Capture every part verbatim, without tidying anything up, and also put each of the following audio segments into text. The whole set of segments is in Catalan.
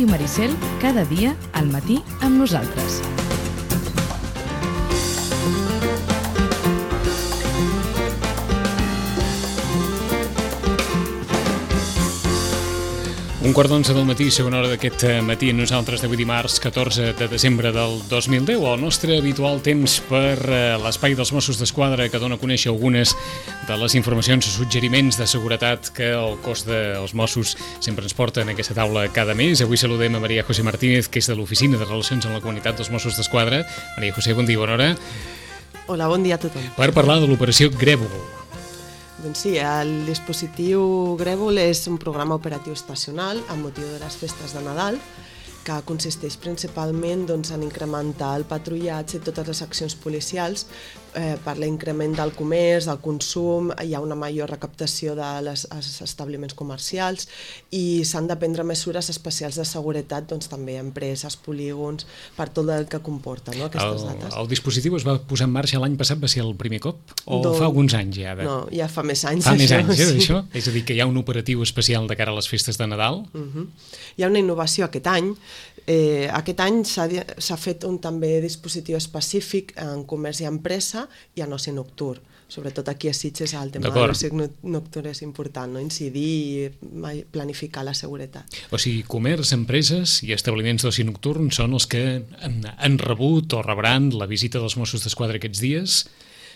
Ràdio Maricel, cada dia al matí amb nosaltres. Un quart d'onze del matí, segona hora d'aquest matí, nosaltres d'avui dimarts, catorze de desembre del dos mil deu, el nostre habitual temps per l'espai dels Mossos d'Esquadra, que dona a conèixer algunes de les informacions i suggeriments de seguretat que el cos dels Mossos sempre ens porta en aquesta taula cada mes. Avui saludem a Maria José Martínez, que és de l'Oficina de Relacions amb la Comunitat dels Mossos d'Esquadra. Maria José, bon dia, bona hora. Hola, bon dia a tothom. Per parlar de l'operació Grèvol. Doncs sí, el dispositiu Grèvol és un programa operatiu estacional amb motiu de les festes de Nadal, que consisteix principalment doncs, en incrementar el patrullatge i totes les accions policials eh, per l'increment del comerç, del consum, hi ha una major recaptació dels establiments comercials i s'han de prendre mesures especials de seguretat, doncs, també empreses, polígons, per tot el que comporta, no, aquestes el, dates. El dispositiu es va posar en marxa l'any passat, va ser el primer cop? O doncs, fa alguns anys ja? De... No, ja fa més anys. Fa això, més anys, eh, sí. d'això? És a dir, que hi ha un operatiu especial de cara a les festes de Nadal? Uh-huh. Hi ha una innovació aquest any. Eh, aquest any s'ha fet un també dispositiu específic en comerç i empresa i en oci nocturn. Sobretot aquí a Sitges el tema de l'oci nocturn és important, no? Incidir i planificar la seguretat. O sigui, comerç, empreses i establiments d'oci nocturn són els que han, han rebut o rebran la visita dels Mossos d'Esquadra aquests dies?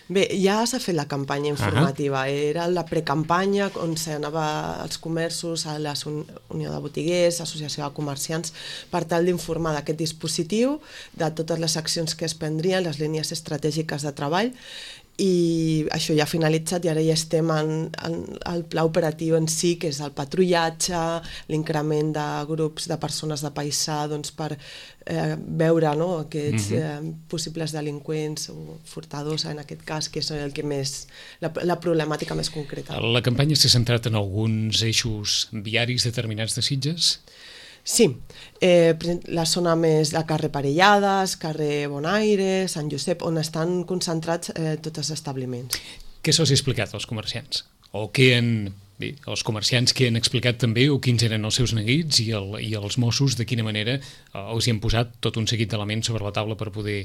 Bé, ja s'ha fet la campanya informativa, uh-huh. Era la precampanya on s'anava als comerços, a la Unió de Botiguers, Associació de Comerciants, per tal d'informar d'aquest dispositiu, de totes les accions que es prendrien, les línies estratègiques de treball, i això ja ha finalitzat i ara ja estem en, en el pla operatiu en si, que és el patrullatge, l'increment de grups de persones de paisà, doncs, per eh, veure, no, aquests eh, possibles delinqüents o furtadors en aquest cas, que és el que més, la, la problemàtica més concreta. La campanya s'ha centrat en alguns eixos viaris determinats de Sitges? Sí, eh, la zona més de carrer Parellades, carrer Bonaire, Sant Josep, on estan concentrats eh, tots els establiments. Què se'ls ha explicat als comerciants? O què han, bé, els comerciants que han explicat també, o quins eren els seus neguits, i, el, i els Mossos de quina manera eh, els hi han posat tot un seguit d'elements sobre la taula per poder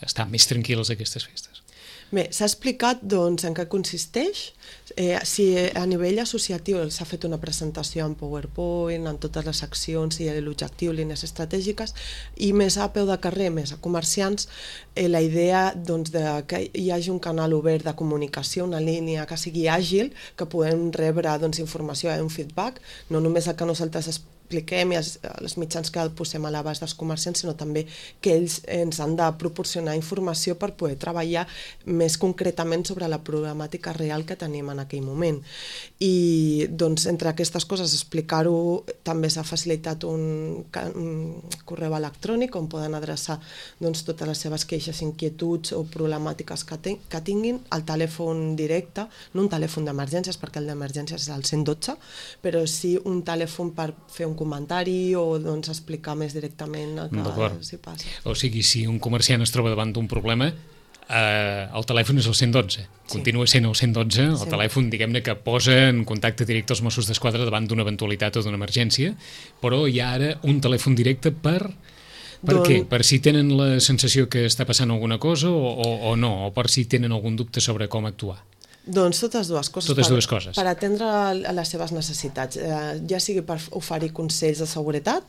estar més tranquils aquestes festes? Bé, s'ha explicat doncs, en què consisteix, eh, si a nivell associatiu s'ha fet una presentació en PowerPoint, en totes les accions i l'objectiu, línies estratègiques, i més a peu de carrer, més a comerciants, eh, la idea doncs, de que hi hagi un canal obert de comunicació, una línia que sigui àgil, que puguem rebre doncs, informació i un feedback, no només el que nosaltres expliquem i els, els mitjans que posem a l'abast dels comerciants, sinó també que ells ens han de proporcionar informació per poder treballar més concretament sobre la problemàtica real que tenim en aquell moment. I doncs, entre aquestes coses, explicar-ho, també s'ha facilitat un, un correu electrònic on poden adreçar doncs, totes les seves queixes, inquietuds o problemàtiques que, ten, que tinguin, al telèfon directe, no un telèfon d'emergències, perquè el d'emergències és el cent i dotze, però sí un telèfon per fer un comentari o doncs, explicar més directament el que s'hi passa. O sigui, si un comerciant es troba davant d'un problema, eh, el telèfon és el cent i dotze. Sí. Continua sent el cent i dotze, el sí. telèfon, diguem-ne, que posa en contacte directe els Mossos d'Esquadra davant d'una eventualitat o d'una emergència, però hi ha ara un telèfon directe per... Per Don... què? Per si tenen la sensació que està passant alguna cosa o, o, o no? O per si tenen algun dubte sobre com actuar? Doncs totes dues coses, totes per, dues coses. Per atendre a les seves necessitats, eh, ja sigui per oferir consells de seguretat,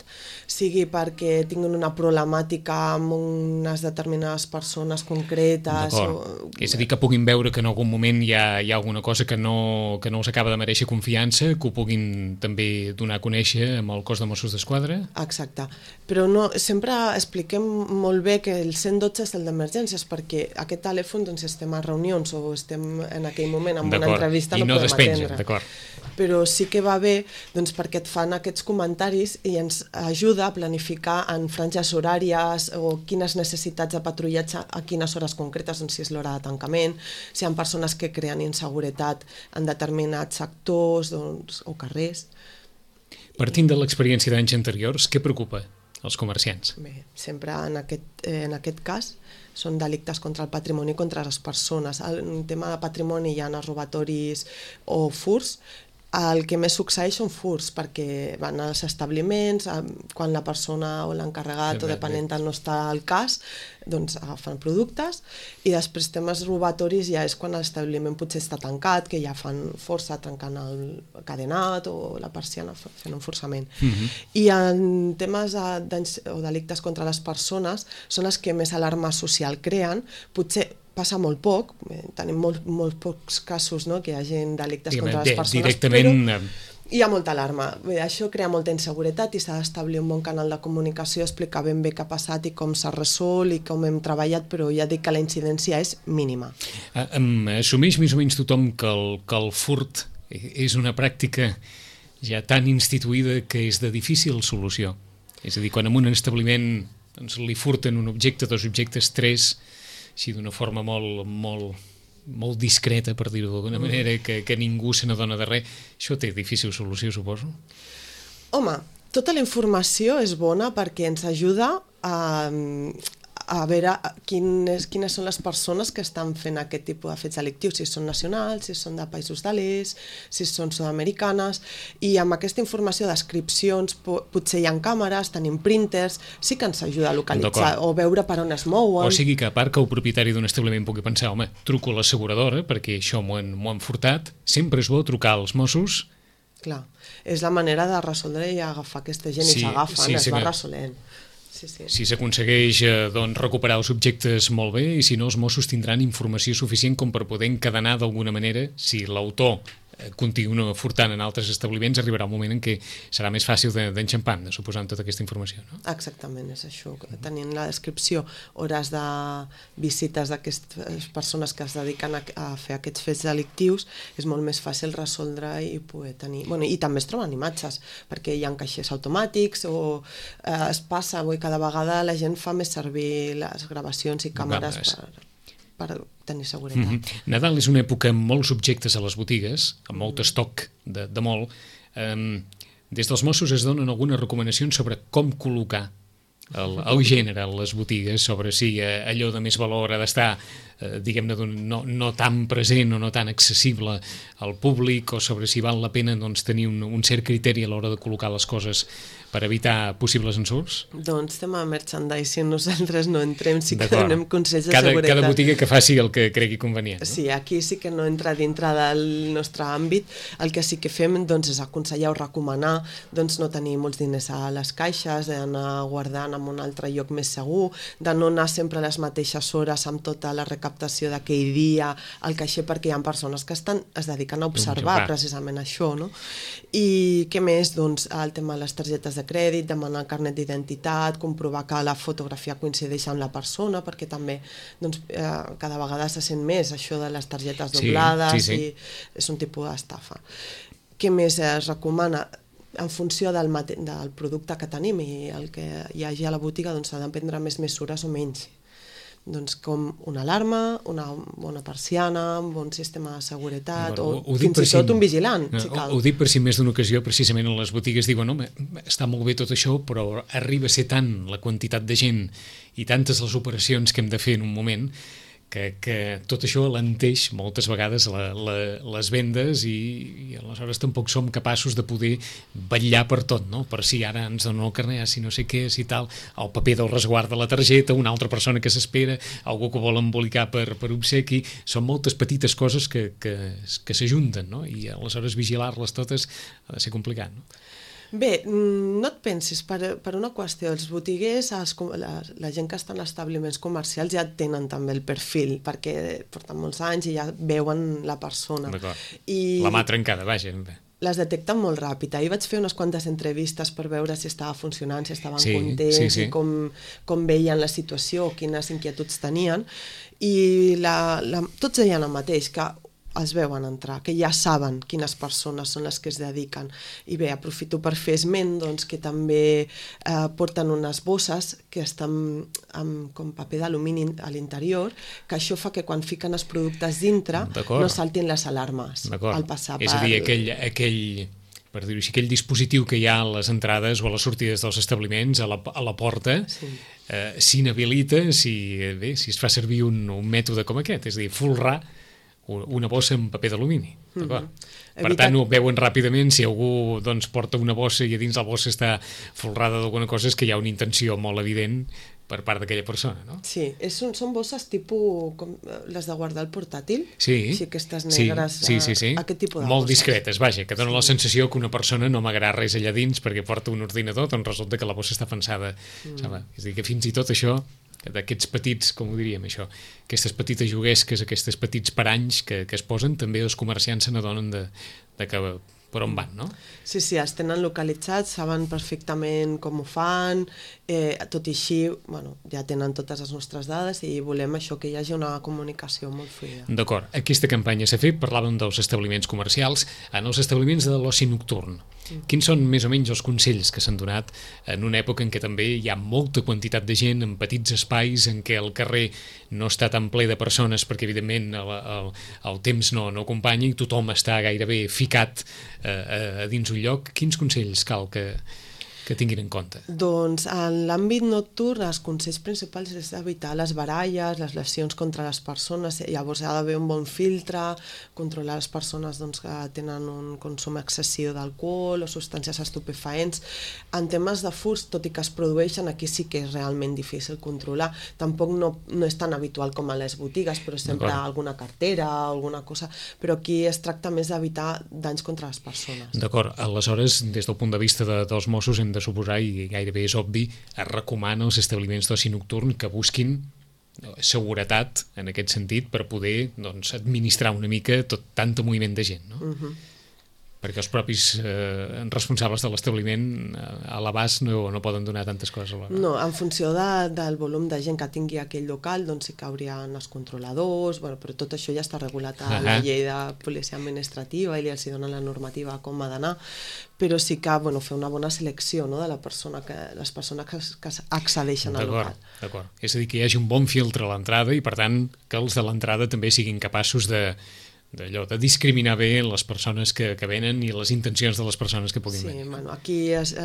sigui perquè tinguin una problemàtica amb unes determinades persones concretes. O... És a dir, que puguin veure que en algun moment hi ha, hi ha alguna cosa que no, que no els acaba de mereixer confiança, que ho puguin també donar a conèixer amb el cos de Mossos d'Esquadra? Exacte, però no, sempre expliquem molt bé que el cent i dotze és el d'emergències, perquè aquest telèfon doncs, estem a reunions o estem en aquell moment amb una entrevista no, no podem despengen, atendre. Però sí que va bé doncs, perquè et fan aquests comentaris i ens ajuda a planificar en franges horàries o quines necessitats de patrullatge a quines hores concretes, doncs, si és l'hora de tancament, si hi ha persones que creen inseguretat en determinats sectors doncs, o carrers. Partint de l'experiència d'anys anteriors, què preocupa els comerciants? Bé, sempre en aquest, eh, en aquest cas són delictes contra el patrimoni i contra les persones. En tema de patrimoni hi ha els robatoris o furts. el que més succeeix són furts, perquè van als establiments, quan la persona o l'encarregat o depenent no està al cas, doncs agafen productes, i després temes robatoris ja és quan l'establiment potser està tancat, que ja fan força trencant el cadenat o la persiana fent un forçament. Uh-huh. I en temes de danys o delictes contra les persones són els que més alarma social creen, potser passa molt poc, tenim molt, molt pocs casos, no?, que hi hagi delictes Diguem, contra les persones, directament... però hi ha molta alarma. Bé, això crea molta inseguretat i s'ha d'establir un bon canal de comunicació, explicar ben bé què ha passat i com s'ha resolt i com hem treballat, però ja dic que la incidència és mínima. Uh, um, assumeix més o menys tothom que el, que el furt és una pràctica ja tan instituïda que és de difícil solució. És a dir, quan en un establiment doncs, li furten un objecte, dos objectes, tres, així d'una forma molt, molt, molt discreta, per dir-ho d'alguna manera, que, que ningú se n'adona de res, això té difícil solució, suposo? Home, tota la informació és bona perquè ens ajuda a, a veure quines, quines són les persones que estan fent aquest tipus de fets delictius, si són nacionals, si són de països de l'est, si són sud-americanes, i amb aquesta informació, descripcions, potser hi ha càmeres, tenim printers, sí que ens ajuda a localitzar o veure per on es mouen. O sigui que a part que el propietari d'un establiment pugui pensar, home, truco a l'asseguradora perquè això m'ho han, m'ho han furtat, sempre és bo trucar als Mossos. Clar, és la manera de resoldre i agafar aquesta gent sí, i s'agafen, sí, es sí, va resolent. Sí, sí. Si s'aconsegueix eh, doncs, recuperar els objectes molt bé, i si no, els Mossos tindran informació suficient com per poder encadenar d'alguna manera, si l'autor eh, continua furtant en altres establiments, arribarà un moment en què serà més fàcil d'enxampar, de, suposant tota aquesta informació. No? Exactament, és això. Tenint la descripció, hores de visites d'aquestes persones que es dediquen a, a fer aquests fets delictius, és molt més fàcil resoldre i poder tenir... Bueno, i també es troben imatges, perquè hi ha caixers automàtics o eh, es passa, vull, cada vegada la gent fa més servir les gravacions i càmeres per, per tenir seguretat. Mm-hmm. Nadal és una època amb molts objectes a les botigues, amb molt estoc de, de molt. Um, des dels Mossos es donen algunes recomanacions sobre com col·locar el, el gènere a les botigues, sobre si eh, allò de més valor ha d'estar eh, diguem-ne no, no tan present o no tan accessible al públic, o sobre si val la pena doncs, tenir un, un cert criteri a l'hora de col·locar les coses per evitar possibles ensurts? Doncs tema merchandising, nosaltres no entrem, sí que donem consells de cada, seguretat. Cada botiga que faci el que cregui convenient. No? Sí, aquí sí que no entra dintre del nostre àmbit. El que sí que fem doncs, és aconsellar o recomanar doncs, no tenir molts diners a les caixes, d'anar guardant en un altre lloc més segur, de no anar sempre a les mateixes hores amb tota la recaptació d'aquell dia al caixer, perquè hi ha persones que estan, es dediquen a observar precisament això. No? I què més? Doncs, el tema de les targetes de crèdit, demanar carnet d'identitat, comprovar que la fotografia coincideix amb la persona, perquè també doncs, eh, cada vegada se sent més això de les targetes doblades, sí, sí, sí. I és un tipus d'estafa. Què més es recomana? En funció del, mate- del producte que tenim i el que hi hagi a la botiga, doncs s'ha de prendre més mesures o menys. Doncs com una alarma, una bona persiana, un bon sistema de seguretat, o, o fins i tot un vigilant, no, si cal. Ho, ho dic per si més d'una ocasió, precisament en les botigues diuen, home, està molt bé tot això, però arriba a ser tant la quantitat de gent i tantes les operacions que hem de fer en un moment, que, que tot això alenteix moltes vegades la, la, les vendes i, i aleshores tampoc som capaços de poder vetllar per tot, no? Per si ara ens donen el carnet, si no sé què, si tal, el paper del resguard de la targeta, una altra persona que s'espera, algú que vol embolicar per, per obsequi, són moltes petites coses que, que, que s'ajunten, no? I aleshores vigilar-les totes ha de ser complicat, no? Bé, no et pensis, per, per una qüestió, els botiguers, els, la, la gent que està en establiments comercials ja tenen també el perfil, perquè porten molts anys i ja veuen la persona. D'acord, I la mà trencada, vaja. Les detecten molt ràpid. Ahir vaig fer unes quantes entrevistes per veure si estava funcionant, si estaven sí, contents, sí, sí. I com, com veien la situació, quines inquietuds tenien, i la, la, tots deien el mateix, que els veuen entrar, que ja saben quines persones són les que es dediquen. I bé, aprofito per fer esment doncs, que també eh, porten unes bosses que estan amb com paper d'alumini a l'interior, que això fa que quan fiquen els productes dintre no saltin les alarmes al passar. És a dir, aquell, aquell, per dir-ho així, aquell dispositiu que hi ha a les entrades o a les sortides dels establiments, a la, a la porta, sí. eh, s'inhabilita si, bé, si es fa servir un, un mètode com aquest, és a dir, folrar una bossa amb paper d'alumini. D'acord? Mm-hmm. Per tant, ho veuen ràpidament, si algú doncs, porta una bossa i a dins la bossa està folrada d'alguna cosa, és que hi ha una intenció molt evident per part d'aquella persona, no? Sí, és, són bosses tipus com les de guardar el portàtil, sí, sí, aquestes negres, sí, sí, sí, sí. aquest tipus de molt bosses. Discretes, vaja, que dona sí. la sensació que una persona no amagarà res allà dins perquè porta un ordinador, doncs resulta que la bossa està pensada, mm. saps? És a dir, que fins i tot això, d'aquests petits, com ho diríem això, aquestes petites juguesques, aquests petits paranys que, que es posen, també els comerciants se n'adonen de, de que per on van, no? Sí, sí, els tenen localitzats, saben perfectament com ho fan, eh, tot i així, bueno, ja tenen totes les nostres dades i volem això, que hi hagi una comunicació molt fluida. D'acord, aquesta campanya s'ha fet, parlàvem dels establiments comercials, en els establiments de l'oci nocturn. Mm. Quins són més o menys els consells que s'han donat en una època en què també hi ha molta quantitat de gent en petits espais, en què el carrer no està tan ple de persones perquè evidentment el, el, el temps no, no acompanya i tothom està gairebé ficat eh, a, a dins un lloc? Quins consells cal que, que tinguin en compte? Doncs en l'àmbit nocturn els consells principals és evitar les baralles, les lesions contra les persones, llavors hi ha d'haver un bon filtre, controlar les persones doncs, que tenen un consum excessiu d'alcohol o substàncies estupefaents. En temes de furts, tot i que es produeixen, aquí sí que és realment difícil controlar. Tampoc no, no és tan habitual com a les botigues, però sempre alguna cartera, alguna cosa, però aquí es tracta més d'evitar danys contra les persones. D'acord, aleshores, des del punt de vista de, dels Mossos, hem de suposar, i gairebé és obvi, es recomana als establiments d'oci nocturn que busquin seguretat en aquest sentit per poder doncs, administrar una mica tot tant moviment de gent, no? Uh-huh. Perquè els propis eh, responsables de l'establiment eh, a l'abast no, no poden donar tantes coses alhora. No, en funció de, del volum de gent que tingui aquell local, doncs sí que haurien els controladors, bueno, però tot això ja està regulat a uh-huh. la llei de policia administrativa i els donen la normativa com ha d'anar, però sí que bueno, fer una bona selecció, no, de la persona que, les persones que, que accedeixen al local. D'acord, és a dir, que hi hagi un bon filtre a l'entrada i per tant que els de l'entrada també siguin capaços de d'allò, de discriminar bé les persones que, que venen i les intencions de les persones que puguin sí, venir. Bueno, aquí és,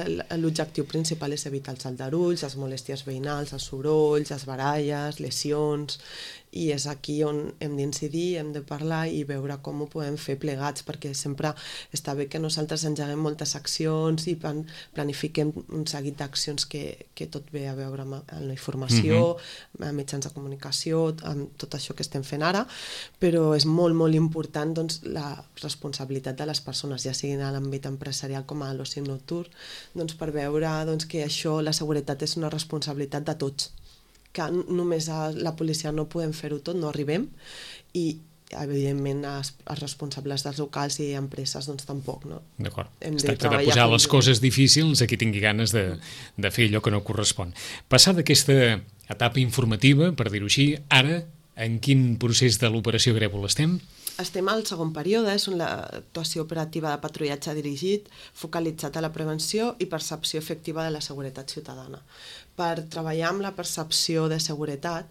l'objectiu principal és evitar els aldarulls, les molèsties veïnals, els sorolls, les baralles, lesions, i és aquí on hem d'incidir, hem de parlar i veure com ho podem fer plegats, perquè sempre està bé que nosaltres engeguem moltes accions i plan, planifiquem un seguit d'accions que, que tot ve a veure amb, amb la informació, mm-hmm. amb mitjans de comunicació, amb tot això que estem fent ara, però és molt, molt important doncs, la responsabilitat de les persones, ja siguin a l'àmbit empresarial com a l'oci nocturn, doncs, per veure doncs, que això, la seguretat és una responsabilitat de tots, que només a la policia no podem fer-ho tot, no arribem, i evidentment els, els responsables dels locals i empreses doncs tampoc, no? D'acord, es tracta de posar les coses difícils a qui tingui ganes de, de fer allò que no correspon. Passada aquesta etapa informativa, per dir-ho així, ara en quin procés de l'operació Grèvol estem? Estem al segon període, és l'actuació operativa de patrullatge dirigit, focalitzat a la prevenció i percepció efectiva de la seguretat ciutadana. Per treballar amb la percepció de seguretat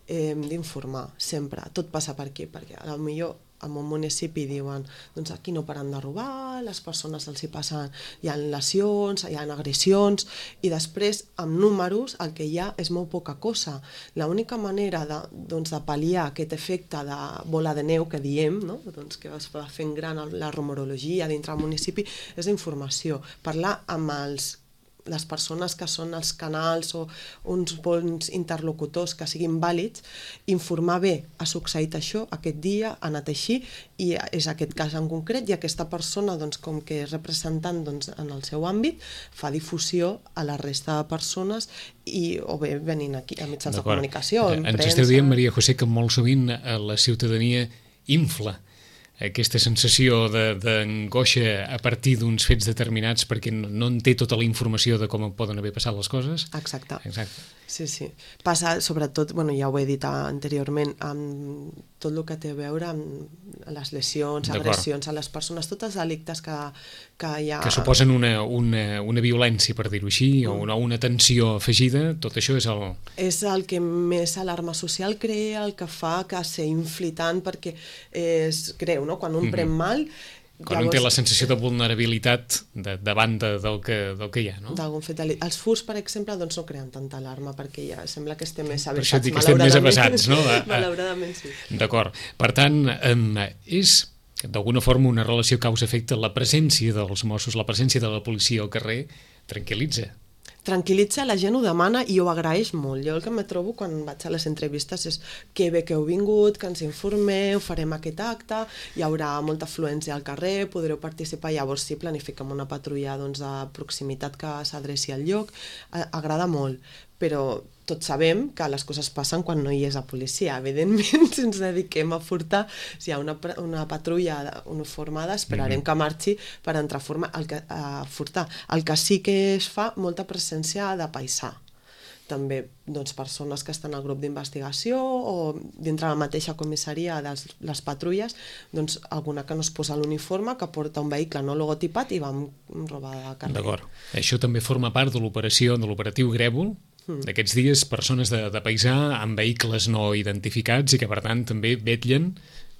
eh, hem d'informar sempre, tot passa per aquí, perquè potser en un municipi diuen doncs aquí no paren de robar, les persones els hi passen, hi ha lesions, hi ha agressions, i després amb números el que hi ha és molt poca cosa. L'única manera de, doncs, de pal·liar aquest efecte de bola de neu que diem, no? Doncs que es va fent gran la rumorologia dintre del municipi, és informació, parlar amb els les persones que són els canals o uns bons interlocutors que siguin vàlids, informar bé, ha succeït això aquest dia, ha anat així, i és aquest cas en concret, i aquesta persona, doncs, com que és representant doncs, en el seu àmbit, fa difusió a la resta de persones i, o bé venint aquí a mitjans de comunicació, en premsa. Ens esteu dient, Maria José, que molt sovint la ciutadania infla aquesta sensació d'angoixa a partir d'uns fets determinats perquè no, no en té tota la informació de com poden haver passat les coses. Exacte. Exacte. Sí, sí. Passa, sobretot, bueno, ja ho he dit anteriorment, amb tot el que té a veure amb les lesions, agressions a les persones, tots els delictes que, que hi ha... Que suposen una, una, una violència, per dir-ho així, mm. o una, una tensió afegida, tot això és el... És el que més alarma social crea, el que fa que s'infli tant, perquè és greu, no? Quan un mm-hmm. pren mal, Quan un té la sensació de vulnerabilitat de, davant de, del, que, del que hi ha, no? D'algun fet. Els furts, per exemple, doncs no creen tanta alarma, perquè ja sembla que estem més Per avesats. això et dic que estem més avesats, no? A, a... Malauradament, sí. D'acord. Per tant, eh, és d'alguna forma una relació causa-efecte. La presència dels Mossos, la presència de la policia al carrer, tranquil·litza. Tranquil·litza, la gent ho demana i ho agraeix molt. Jo el que me trobo quan vaig a les entrevistes és que bé que heu vingut, que ens informeu, farem aquest acte, hi haurà molta afluència al carrer, podreu participar, llavors sí, planifiquem una patrulla doncs, de proximitat que s'adreci al lloc. Agrada molt, però tots sabem que les coses passen quan no hi és la policia. Evidentment, si ens dediquem a furtar, si hi ha una, una patrulla uniformada, esperarem mm-hmm. que marxi per entrar a, forma, el que, a furtar. El que sí que es fa, molta presència de paisà. També doncs, persones que estan al grup d'investigació o dintre la mateixa comissaria de les patrulles, doncs, alguna que no es posa l'uniforme, que porta un vehicle no logotipat i va amb roba de carrer. D'acord. Això també forma part de l'operació, de l'operatiu Grèvol, d'aquests dies, persones de, de paisà amb vehicles no identificats i que per tant també vetllen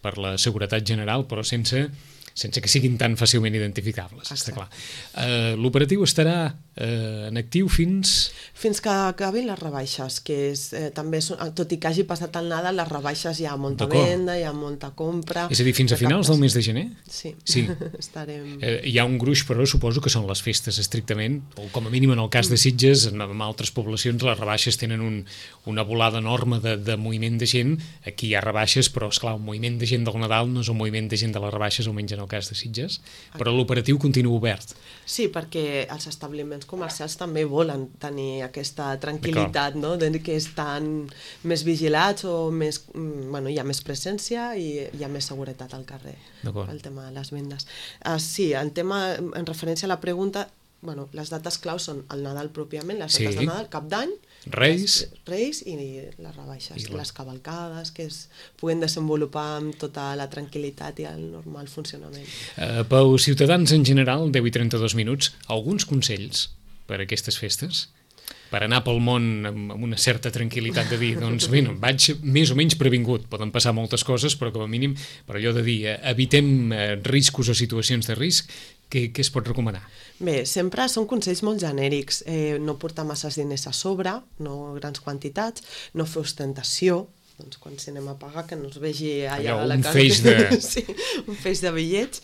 per la seguretat general, però sense, sense que siguin tan fàcilment identificables. Està clar. Uh, l'operatiu estarà uh, en actiu fins... Fins que acabin les rebaixes, que és, eh, també, són, tot i que hagi passat el Nadal, les rebaixes hi ha molta venda, hi ha molta compra... És a dir, fins a finals del mes de gener? Sí, sí. Estarem... Eh, hi ha un gruix, però suposo que són les festes estrictament, o com a mínim en el cas de Sitges, en, en altres poblacions les rebaixes tenen un, una volada enorme de, de moviment de gent. Aquí hi ha rebaixes, però esclar, un moviment de gent del Nadal no és un moviment de gent de les rebaixes, almenys en el cas de Sitges, però l'operatiu continua obert. Sí, perquè els establiments comercials també volen tenir aquesta tranquil·litat, no? De que estan més vigilats o més, bueno, hi ha més presència i hi ha més seguretat al carrer, el tema de les vendes. Uh, sí, el tema, en referència a la pregunta, bueno, les dates claus són el Nadal pròpiament, les dates sí. de Nadal, Cap d'Any, Reis. Reis i les rebaixes, I la... les cavalcades, que es puguen desenvolupar amb tota la tranquil·litat i el normal funcionament. Uh, pels ciutadans en general, deu i trenta-dos minuts, alguns consells per a aquestes festes? Per anar pel món amb una certa tranquil·litat de dir, doncs bé, vaig més o menys previngut, poden passar moltes coses, però com a mínim, per allò de dir, evitem riscos o situacions de risc, què, què es pot recomanar? Bé, sempre són consells molt genèrics, eh, no portar masses diners a sobre, no grans quantitats, no fer ostentació, doncs quan si anem a pagar que no es vegi allà, allà a la casa. Un feix de... sí, un feix de bitllets.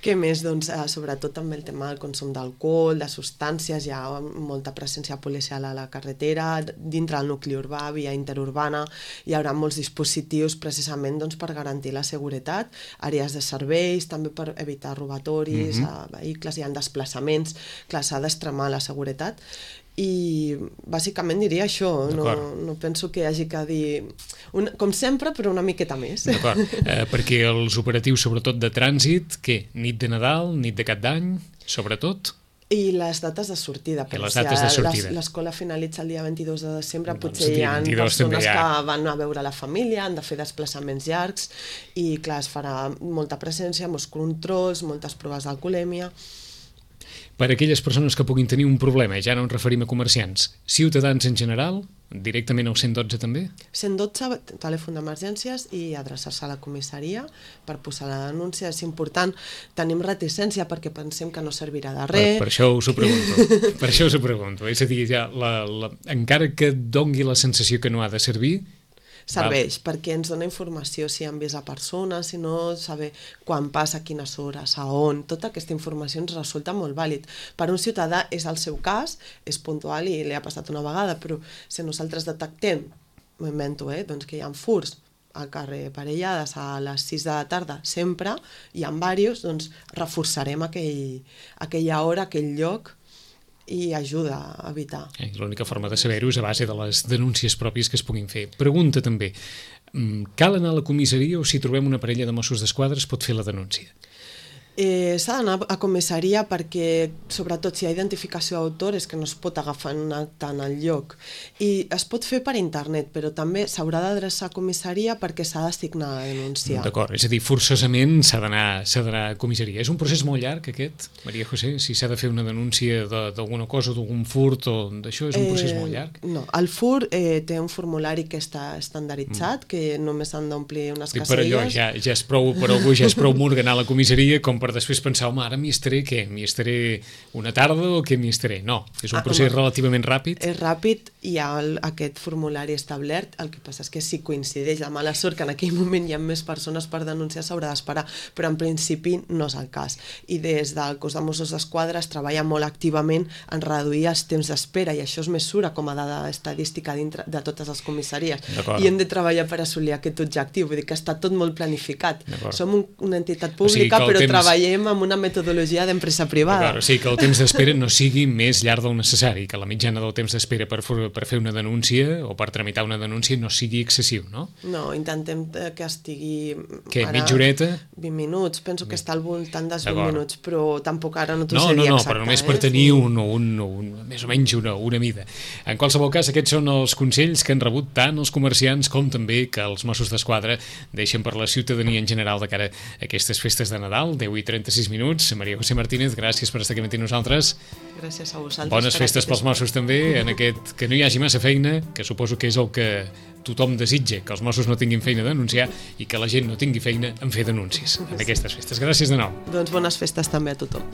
Què més? Doncs, eh, sobretot també el tema del consum d'alcohol, de substàncies, hi ha molta presència policial a la carretera, dintre del nucli urbà, via interurbana, hi haurà molts dispositius precisament doncs, per garantir la seguretat, àrees de serveis, també per evitar robatoris, mm-hmm. a vehicles, hi ha desplaçaments, clar, s'ha d'extremar la seguretat. I bàsicament diria això, no, no penso que hi hagi que dir un, com sempre, però una miqueta més. D'acord, eh, perquè els operatius sobretot de trànsit, què? Nit de Nadal, nit de Cap d'Any, sobretot? I les dates de sortida. I les dates de sortida. L'escola finalitza el dia vint-i-dos de desembre, doncs potser hi ha persones ha... que van a veure la família, han de fer desplaçaments llargs i clar, es farà molta presència, molts controls, moltes proves d'alcoholèmia. Per a aquelles persones que puguin tenir un problema, ja no ens referim a comerciants, ciutadans en general, directament al cent dotze també? cent dotze, telèfon d'emergències i adreçar-se a la comissaria per posar la denúncia. És important, tenim reticència perquè pensem que no servirà de res. Per, per això us ho pregunto, per això us ho pregunto. És a dir, ja, la, la, encara que dongui la sensació que no ha de servir, serveix, val. Perquè ens dona informació si han vist a persones, si no, saber quan passa, a quines hores, a on, tota aquesta informació ens resulta molt vàlid. Per un ciutadà és el seu cas, és puntual i li ha passat una vegada, però si nosaltres detectem, m'ho invento, eh, doncs que hi ha furts al carrer Parellades a les sis de la tarda, sempre, hi ha diversos, doncs reforçarem aquell, aquella hora, aquell lloc, i ajuda a evitar. Eh, l'única forma de saber-ho és a base de les denúncies pròpies que es puguin fer. Pregunta també, cal anar a la comissaria o si trobem una parella de Mossos d'Esquadra es pot fer la denúncia? Eh, s'ha d'anar a comissaria perquè, sobretot si hi ha identificació d'autor, és que no es pot agafar un acte en el lloc. I es pot fer per internet, però també s'haurà d'adreçar a comissaria perquè s'ha d'assignar la denúncia. D'acord, és a dir, forçosament s'ha d'anar a comissaria. És un procés molt llarg, aquest, Maria José? Si s'ha de fer una denúncia d'alguna cosa, d'algun furt o d'això, és un procés eh, molt llarg? No, el furt eh, té un formulari que està estandarditzat, mm. que només han d'omplir unes I caselles. per allò ja, ja és prou, per algú ja és prou murga anar a la comissaria com per per després pensar, home, ara m'hi estaré què? M'hi estaré una tarda o què m'hi estaré? No, és un procés ah, relativament ràpid. És ràpid, hi ha el, aquest formulari establert, el que passa és que si coincideix la mala sort que en aquell moment hi ha més persones per denunciar, s'haurà d'esperar, però en principi no és el cas. I des del cos de Mossos d'Esquadra es treballa molt activament en reduir els temps d'espera, i això es mesura com a dada estadística dintre de totes les comissaries. I hem de treballar per assolir aquest objectiu, vull dir que està tot molt planificat. Som un, una entitat pública, o sigui, però temps... treballem amb una metodologia d'empresa privada. O sigui, que el temps d'espera no sigui més llarg del necessari, que la mitjana del temps d'espera per, per fer una denúncia o per tramitar una denúncia no sigui excessiu, no? No, intentem que estigui... Què, mitja horeta? vint minuts, penso que està al voltant dels vint minuts, però tampoc ara no t'ho no, sé dir no, no, exacte. Però només per tenir un, un, un, més o menys una, una mida. En qualsevol cas, aquests són els consells que han rebut tant els comerciants com també que els Mossos d'Esquadra deixen per la ciutadania en general de cara a aquestes festes de Nadal, deu i trenta-sis minuts. Maria José Martínez, gràcies per estar aquí amb nosaltres. Gràcies a vosaltres. Bones festes pels Mossos també, en aquest que no hi hagi massa feina, que suposo que és el que tothom desitja, que els Mossos no tinguin feina a denunciar i que la gent no tingui feina en fer denúncies en aquestes festes. Gràcies de nou. Doncs bones festes també a tothom.